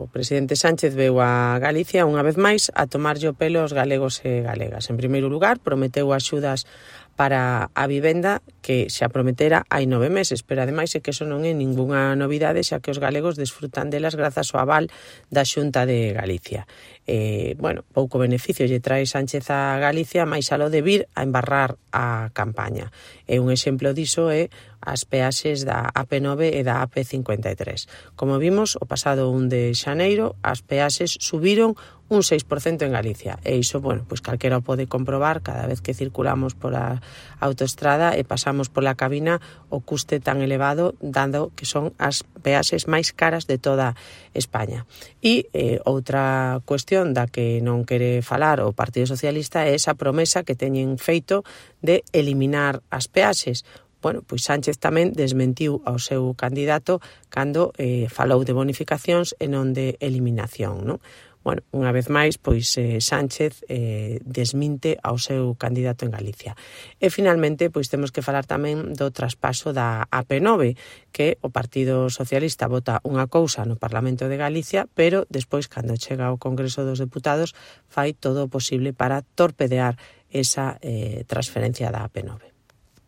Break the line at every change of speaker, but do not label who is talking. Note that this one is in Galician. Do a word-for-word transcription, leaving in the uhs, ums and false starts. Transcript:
O presidente Sánchez veu a Galicia unha vez máis a tomarlle o pelo aos galegos e galegas. En primeiro lugar, prometeu axudas para a vivenda que xa prometera hai nove meses, pero ademais é que eso non é ningunha novidade, xa que os galegos desfrutan delas grazas ao aval da Xunta de Galicia. Eh, bueno, pouco beneficio lle trae Sánchez a Galicia, máis aló de vir a embarrar a campaña. E un exemplo diso é as peaxes da A P nove e da A P cincuenta e tres. Como vimos, o pasado un de xaneiro, as peaxes subiron un seis por cento en Galicia. E iso, bueno, pois calquera o pode comprobar cada vez que circulamos pola autoestrada e pasamos pola cabina o custe tan elevado, dando que son as peaxes máis caras de toda España. E eh, outra cuestión da que non quere falar o Partido Socialista é esa promesa que teñen feito de eliminar as peaxes. Bueno, pois Sánchez tamén desmentiu ao seu candidato cando eh, falou de bonificacións e non de eliminación, non? Bueno, unha vez máis, pois eh, Sánchez eh, desminte ao seu candidato en Galicia. E finalmente, pois temos que falar tamén do traspaso da A P nove, que o Partido Socialista vota unha cousa no Parlamento de Galicia, pero despois, cando chega ao Congreso dos Deputados, fai todo o posible para torpedear esa eh, transferencia da A P nove.